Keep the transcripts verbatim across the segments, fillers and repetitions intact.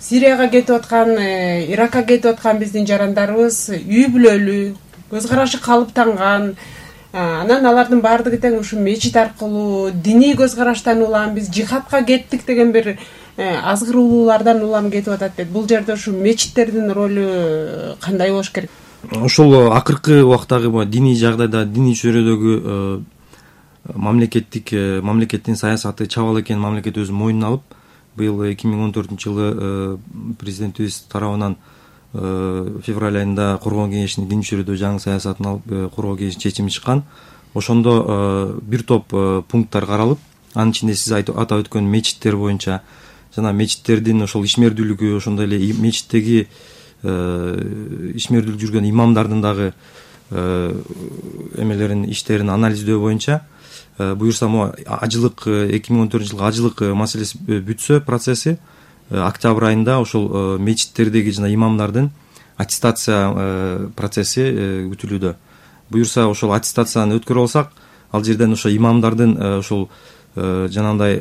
Сирияга кетип аткан, Иракка кетип аткан биздин жарандарыбыз үй бүлөлүү, көз карашы калыптанган. Анан алардын баардыгы тең ушу мечит аркылуу диний көз караштан улам биз жихадка кеттик деген бир азгыр улуулардан улам кетип атат дейт. Бул жерде ушу мечиттердин ролу кандай болуш керек? Ошол акыркы убактагы диний жагдайда, диний чөйрөдөгү мамлекеттик мамлекеттин саясаты чабал экенин мамлекет өзү мойнуна алып, быйыл эки миң он төртүнчү жылы президентибиз тарабынан февраль айында коргоо кеңешинин диний чөйрөдө жаңы саясатын алып коргоо кеңешинин чечими чыккан. Ошондо бир топ пункттар каралып, анын ичинде сиз атап өткөн мечиттер боюнча жана мечиттердин ошол ишмердүүлүгү, ошондой эле мечиттеги ишмердүүлүк жүргөн имамдардын дагы эмелерин, иштерин анализдөө боюнча буюрса могу ажылык эки миң он төртүнчү жылкы ажылык маселеси бүтсө процесси октябрь айында ошол мечиттердеги жана имамдардын аттестация процесси күтүлүүдө. Буюрса ошол аттестацияны өткөрө алсак, ал жерден ошо имамдардын ошол жанагындай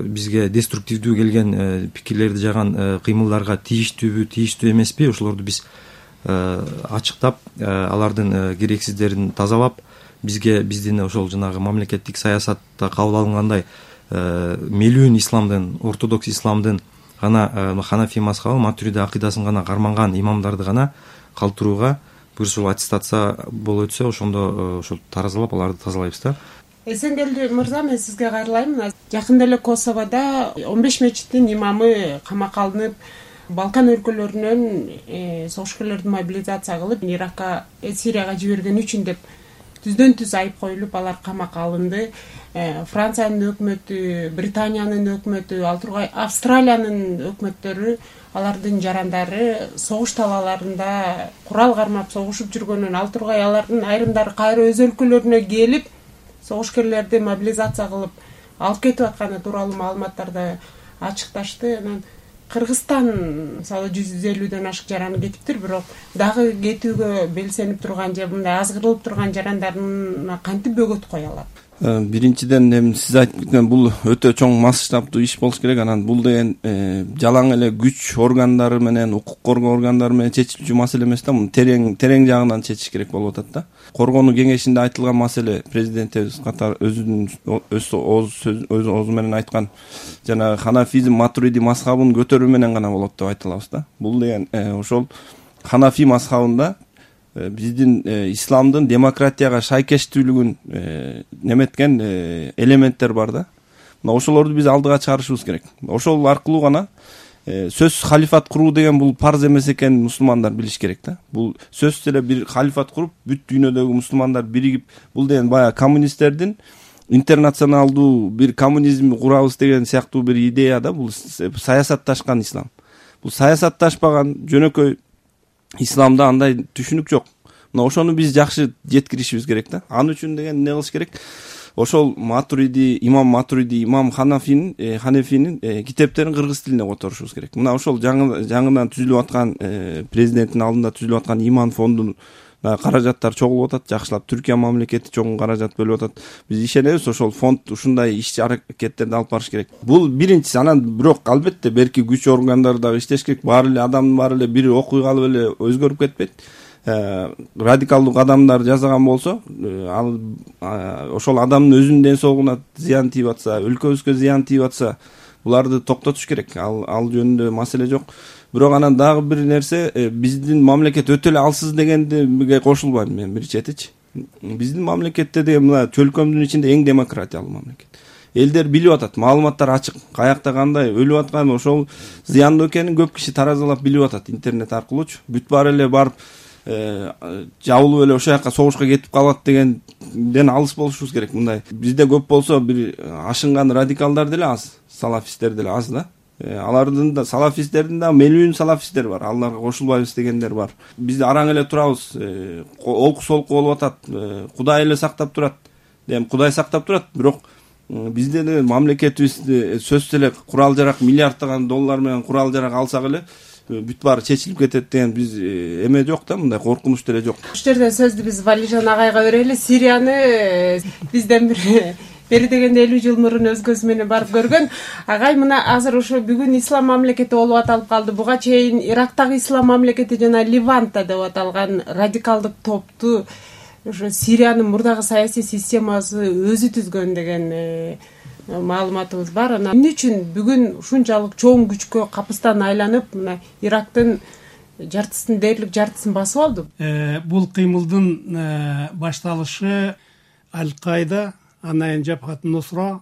бизге деструктивдүү келген пикирлерди жаган кыймылдарга тийиштүүбү, тийиштүү эмеспи, ошолорду биз ачыктап, алардын керексиздерин тазалап, бизге биздин ошол жанагы мамлекеттик саясатта кабыл алынгандай мелүүн исламдын, ортодокс исламдын гана ханафи мазхабы, матуриди акыйдасын гана карманган имамдарды гана калтырууга буюрса аттестация болуп өтсө, ошондо ошол таразалап аларды тазалайбыз да. Эсенгелди мырза, мен сизге кайрылайм. Жакында эле Косоводо он беш мечиттин имамы камакка алынып, Балкан өлкөлөрүнөн согушкерлерди мобилизация кылып, Иракка, Сирияга жиберген үчүн деп түздөн түз айып коюлуп, алар камакка алынды. Франциянын өкмөтү, Британиянын өкмөтү, ал тургай Австралиянын өкмөттөрү алардын жарандары согуш талааларында курал кармап согушуп жүргөнүн, ал тургай алардын айрымдары кайра өз өлкөлөрүнө келип согушкерлерди мобилизация кылып алып кетип атканы тууралуу маалыматтарды ачыкташты. Анан Кыргызстан мисалы жүз элүүдөн ашык жараны кетиптир, бирок дагы кетүүгө белсенип турган же мындай азгырылып турган жарандарына кантип бөгөт кое алат? Биринчиден эми сиз айтып кеткен бул өтө чоң масштабдуу иш болуш керек. Анан бул деген жалаң эле күч органдары менен, укук коргоо органдары менен чечилүүчү маселе эмес да, муну терең терең жагынан чечиш керек болуп атат да. Коргонуу кеңешинде айтылган маселе президентибиз катар өзүнүн өз өз оозу менен айткан жана ханафизм, матуриди мазхабын көтөрүү менен гана болот деп айта алабыз да. Бул деген ошол ханафи мазхабында биздин исламдын демократияга шайкештүүлүгүн неметкен элементтер бар да. Мына ошолорду биз алдыга чыгарышыбыз керек. Ошол аркылуу гана сөзсүз халифат куруу деген бул парз эмес экенин мусулмандар билиш керек да. Бул сөзсүз эле бир халифат куруп, бүт дүйнөдөгү мусулмандар биригип, бул деген баягы коммунисттердин интернационалдуу бир коммунизм курабыз деген сыяктуу бир идея да. Бул саясатташкан ислам. Бул саясатташпаган жөнөкөй исламда андай түшүнүк жок. Мына ошону биз жакшы жеткиришибиз керек да. Ал үчүн деген эмне кылыш керек? Ошол Матуриди, имам Матуриди, имам Ханафинин, Ханефинин китептерин кыргыз тилине которушубуз керек. Мына ошол жаңы жаңыдан түзүлүп аткан президенттин алдында түзүлүп аткан иман фондун каражаттар чогулуп атат, жакшылап Түркия мамлекети чоң каражат бөлүп атат. Биз ишенебиз, ошол фонд ушундай иш аракеттерди алып барыш керек. Бул биринчиси. Анан бирок албетте берки күч органдары дагы иштеш керек. Баары эле адамдын баары эле бир окуй калып эле өзгөрүп кетпейт. Радикалдуу кадамдар жасаган болсо, ал ошол адамдын өзүнүн ден соолугуна зыян тийип атса, өлкөбүзгө зыян тийип атса, буларды токтотуш керек. Ал ал жөнүндө маселе жок. Бирок анан дагы бир нерсе, биздин мамлекет өтө эле алсыз дегенге кошулбайм мен бир четичи. Биздин мамлекетте деген мына чөлкөмдүн ичинде эң демократиялуу мамлекет. Элдер билип атат, маалыматтар ачык, каякта кандай өлүп аткан, ошол зыяндуу экенин көп киши таразалап билип атат интернет аркылуучу. Бүт баары эле барып жабылып эле ошол жака согушка кетип калат дегенден алыс болушубуз керек. Мындай бизде көп болсо бир ашынган радикалдар деле аз, салафисттер деле аз да. Алардын да салафисттердин да мелүүн салафисттер бар, аларга кошулбайбыз дегендер бар. Биз араң эле турабыз, олку солку болуп атат, Кудай эле сактап турат. Дем Кудай сактап турат, бирок бизде деле мамлекетибиз сөзсүз эле курал жарак миллиарддаган доллар менен курал жарак алсак эле бүт баары чечилип кетет деген биз эме жок да, мындай коркунуч деле жок. Ушул жерде сөздү биз Валижан агайга берели. Сирияны бизден бир бери дегенде элүү жыл мурун өз көзү менен барып көргөн. Агай мына азыр ошо бүгүн ислам мамлекети болуп аталып калды. Буга чейин Ирактагы ислам мамлекети жана Ливанта деп аталган радикалдык топту ошо Сириянын мурдагы саясий системасы өзү түзгөн деген маалыматыбыз бар. Анан эмне үчүн бүгүн ушунчалык чоң күчкө капыстан айланып мына Ирактын жартысын дээрлик жартысын басып алды? Бул кыймылдын башталышы Аль-Каида, анан Жабхат Нусра,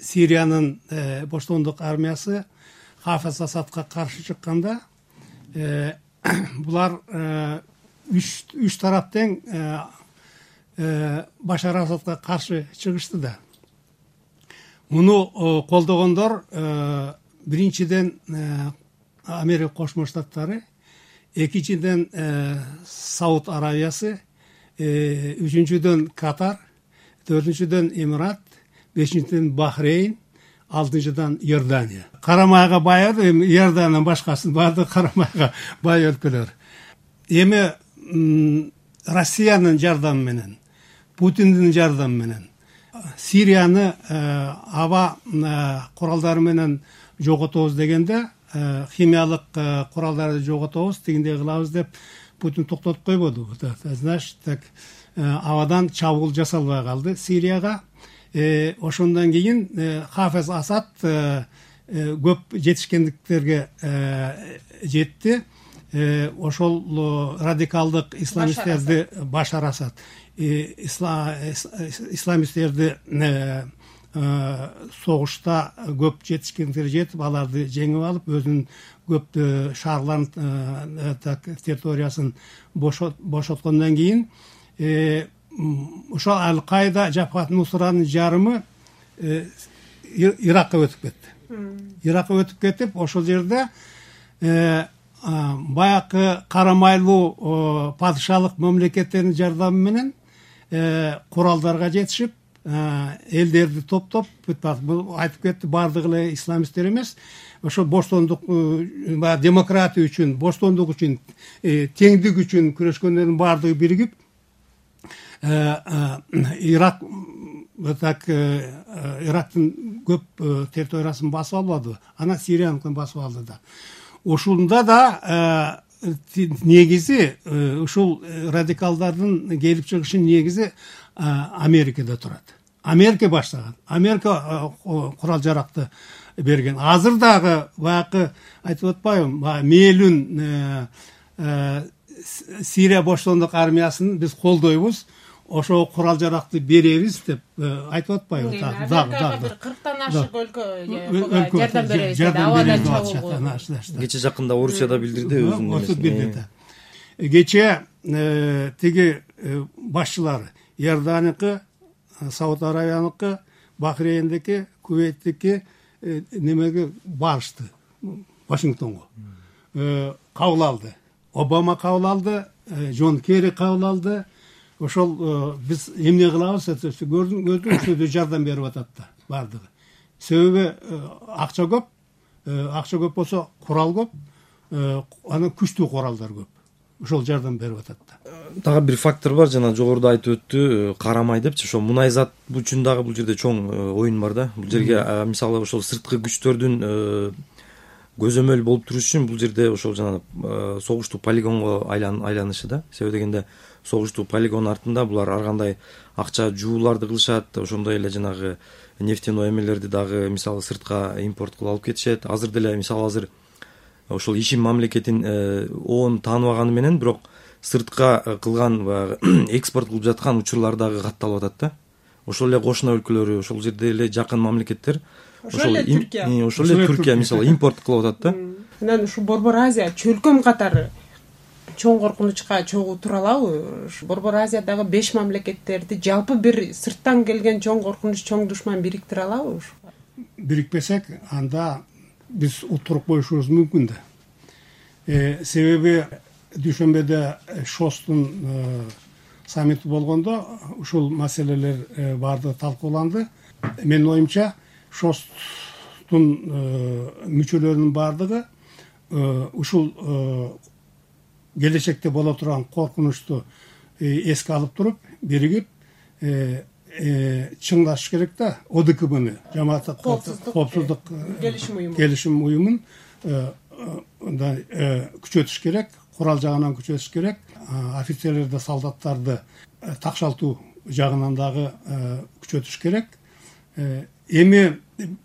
Сириянын боштондук армиясы Хафез Асадка каршы чыкканда, булар үч үч тарап тең Башар Асадка каршы чыгышты да. Муну колдогондор биринчиден Америка Кошмо Штаттары, экинчиден Сауд Аравиясы, үчүнчүдөн Катар, төртүнчүдөн Эмират, бешинчиден Бахрейн, алтынчыдан Иордания. Карамайга бай Иорданиядан башкасы барды карамайга бай өлкөлөр. Эми Россиянын жардамы менен, Путиндин жардамы менен Сирияны аба куралдары менен жоготобуз дегенде, химиялык куралдарды жоготобуз, тигиндей кылабыз деп Путин токтотуп койбоду. Значит, так абадан чабуул жасалбай калды Сирияга. Ошондон кийин Хафез Асад көп жетишкендиктерге жетти. Ошол радикалдык исламисттерди Башар Асад исламисттерди согушта көп жетишкендиктерге жетип, аларды жеңип алып, өзүнүн көп шаарларын, территориясын бошоткондон кийин ошо Аль-Каида, Жабхат Нусранын жарымы Иракка өтүп кетти. Иракка өтүп кетип, ошол жерде баякы карамайлуу падышалык мамлекеттердин жардамы менен куралдарга жетишип, элдерди топтоп, бул айтып кетти, бардыгы эле исламисттер эмес, ошо боштондук, демократия үчүн, боштондук үчүн, теңдик үчүн күрөшкөндөрдүн бардыгы биригип, Ирак так Ирактын көп территориясын басып албады, ана Сирияныкын басып алды да. Ошондо да негизи ушул радикалдардын келип чыгышынын негизи Америкада турат. Америка баштаган. Америка курал жаракты берген. Азыр дагы баягы айтып атпайбы, мээлүн Сирия боштондук армиясын биз колдойбуз, ошо курал жаракты беребиз деп айтып атпайбы? Дагы дагы бир кырктан ашык өлкө жардам беребиз деп абадан чабуу. Кече жакында Орусия да билдирди өзүнүн. Кече тиги башчылары Иорданияны, Сауд Аравияныкы, Бахрейндики, Кувейттики немеге барышты, Вашингтонго. Кабыл алды. Обама кабыл алды, Джон Керри кабыл алды. Ошол биз эмне кылабыз, көрдүңүз, жардам берип атат да бардыгы. Себеби акча көп, акча көп болсо курал көп, анан күчтүү куралдар көп. Ошол жардам берип атат да. Дагы бир фактор бар, жана жогоруда айтып өттү, карамай депчи, ошо мунайзат үчүн дагы бул жерде чоң оюн бар да. Бул жерге мисалы ошол сырткы күчтөрдүн көзөмөл болуп туруш үчүн бул жерде ошол жана согуштуу полигонго айланышы да. Себеби дегенде согуштуу полигон артында булар ар кандай акча жууларды кылышат, ошондой эле жанагы нефтяной эмелерди дагы мисалы сыртка импорт кылып алып кетишет. Азыр деле мисалы азыр ошол ишим мамлекетин оон тааныбаганы менен, бирок сыртка кылган экспорт кылып жаткан учурлар дагы катталып атат да. Ошол эле кошуна өлкөлөрү, ошол жерде эле жакын мамлекеттер, ошол эле Түркия, ошол эле Түркия мисалы импорт кылып атат да. Анан ушу Борбор Азия чөлкөм катары чоң коркунучка чогуу тура алабы? Борбор Азиядагы беш мамлекеттерди жалпы бир сырттан келген чоң коркунуч, чоң душман бириктире алабы? Бирикпесек, анда биз утуруп коюшубуз мүмкүн да. Себеби дүйшөмбөдө Шостун саммити болгондо ушул маселелер барды талкууланды. Менин оюмча, Шосттун мүчөлөрүнүн бардыгы ушул келечекте боло турган коркунучту эске алып туруп, биригип чыңдаш керек да. о дэ ка бны жамааттык коопсуздук келишим уюму келишим уюмун мындай күчөтүш керек, курал жагынан күчөтүш керек, офицерлерди, солдаттарды такшалтуу жагынан дагы күчөтүш керек. Эми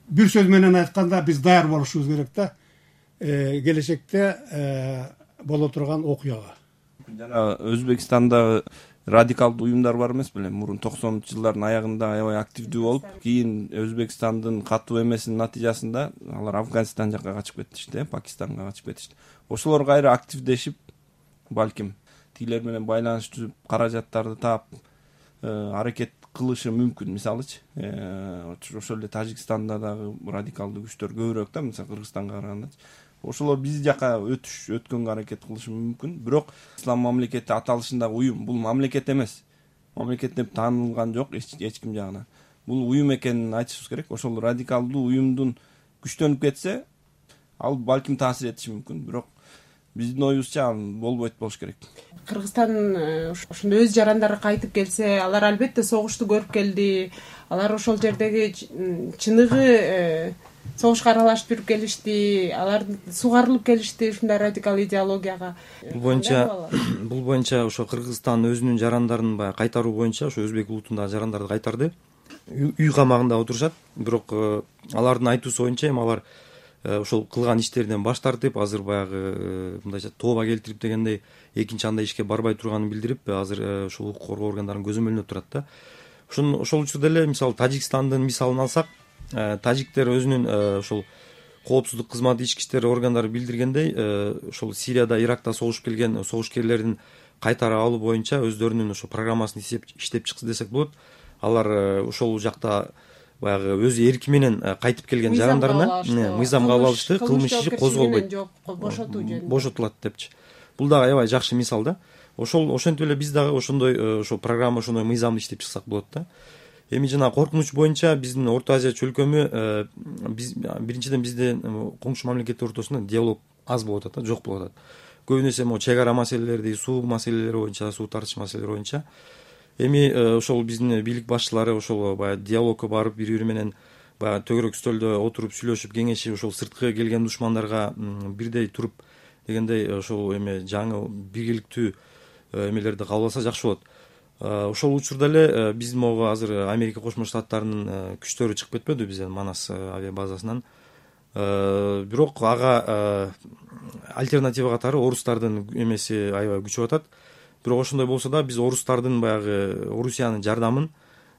бир сөз менен айтканда биз даяр болушубуз керек да, келечекте боло турган окуяга. Жана Өзбекстанда радикалдуу уюмдар бар эмес беле? Мурун токсонунчу жылдардын аягында аябай активдүү болуп, кийин Өзбекстандын катуу эмесинин натыйжасында алар Афганистан жакка качып кетишти, Пакистанга качып кетишти. Ошолор кайра активдешип, балким тилер менен байланыш түзүп, каражаттарды таап аракет кылышы мүмкүн. Мисалычы, ошол эле Тажикстанда дагы радикалдуу күчтөр көбүрөөк да, мисалы Кыргызстанга караганда. Ошолор биз жака өтүш өткөнгө аракет кылышы мүмкүн. Бирок ислам мамлекети аталышындагы уюм бул мамлекет эмес. Мамлекет деп таанылган жок эч ким жагынан. Бул уюм экенин айтышыбыз керек. Ошол радикалдуу уюмдун күчтөнүп кетсе, ал балким таасир этиши мүмкүн. Бирок биздин оюбузча болбойт болуш керек. Кыргызстан ошондой өз жарандары кайтып келсе, алар албетте согушту көрүп келди. Алар ошол жердеги чыныгы согушка аралашып жүрүп келишти, алар сугарылып келишти ушундай радикал идеологияга. Бул боюнча бул боюнча ошо Кыргызстан өзүнүн жарандарын баягы кайтаруу боюнча ошо өзбек улутундагы жарандарды кайтарды. Үй камагында отурушат, бирок алардын айтуусу боюнча эми алар ошол кылган иштеринен баш тартып, азыр баягы мындайча тооба келтирип дегендей экинчи андай ишке барбай турганын билдирип, азыр ошол укук коргоо органдарын көзөмөлдөп турат да. Ошон ошол учурда эле мисалы Тажикстандын мисалын алсак, тажиктер өзүнүн ошол коопсуздук кызматы, ички иштер органдары билдиргендей, ошол Сирияда, Иракта согушуп келген согушкерлердин кайтара алуу боюнча өздөрүнүн ошо программасын иштеп чыкты десек болот. Алар ошол жакта баягы өз эрки менен кайтып келген жарандарына мыйзам кабыл алышты, кылмыш иши козголбойт, бошотулат депчи. Бул дагы аябай жакшы мисал да. Ошол ошентип эле биз дагы ошондой ошо программа, ошондой мыйзамды иштеп чыксак болот да. Эми жана коркунуч боюнча биздин Орто Азия чөлкөмү, биз биринчиден биздин коңшу мамлекеттер ортосунда диалог аз болуп атат да, жок болуп атат. Көбүнесе могу чек ара маселелерди, суу маселелери боюнча, суу тартыш маселелери боюнча. Эми ошол биздин бийлик башчылары ошол баягы диалогко барып, бири-бири менен баягы төгөрөк стөлдө отуруп сүйлөшүп, кеңешип, ошол сырткы келген душмандарга бирдей туруп дегендей ошол эме жаңы биргеликтүү эмелерди кабыл алса жакшы болот. Ошол учурда эле биз могу азыр Америка Кошмо Штаттарынын күчтөрү чыгып кетпедиби бизден Манас авиа базасынан. Бирок ага альтернатива катары орустардын эмеси аябай күчөп атат. Бирок ошондой болсо да биз орустардын баягы Орусиянын жардамын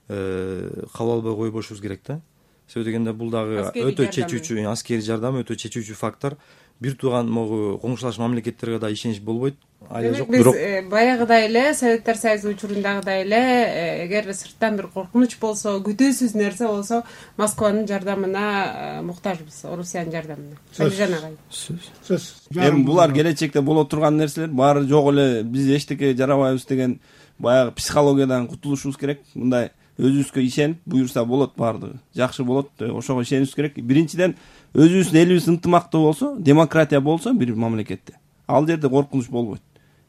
кабыл албай койбошубуз керек да. Себеби дегенде бул дагы өтө чечүүчү аскерий жардам, өтө чечүүчү фактор. Бир тууган могу коңшулаш мамлекеттерге да ишенич болбойт. Айла жок. Бирок баягыдай эле Советтер Союзу учурундагыдай эле эгер сырттан бир коркунуч болсо, күтүүсүз нерсе болсо, Москванын жардамына муктажбыз, Орусиянын жардамына. Алижан агай. Сөз. Эми булар келечекте боло турган нерселер баары жок эле, биз эчтеке жарабайбыз деген баягы психологиядан кутулушубуз керек. Мындай өзүбүзгө ишенип, буюрса болот баардыгы. Жакшы болот, ошого ишенишибиз керек. Биринчиден өзүбүздүн элибиз ынтымактуу болсо, демократия болсо бир мамлекетте, ал жерде коркунуч болбойт.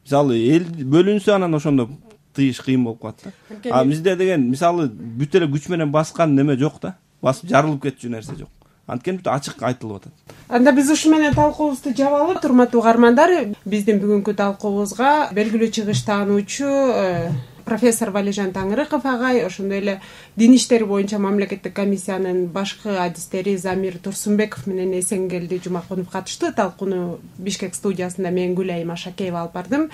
Мисалы эл бөлүнсө анан ошондо тыйыш кыйын болуп калат да. А бизде деген мисалы бүт эле күч менен баскан неме жок да. Басып жарылып кетчү нерсе жок. Анткени бүт ачык айтылып атат. Анда биз ушу менен талкуубузду жабалы, урматтуу угармандар. Биздин бүгүнкү талкуубузга белгилүү чыгыш таануучу профессор Валижан Таңырыков агай, ошондой эле дин иштери боюнча мамлекеттик комиссиянын башкы адистери Замир Турсунбеков менен Эсенгелди Жумакунов катышты. Талкууну Бишкек студиясында мен Гүлайым Ашакеева алып бардым.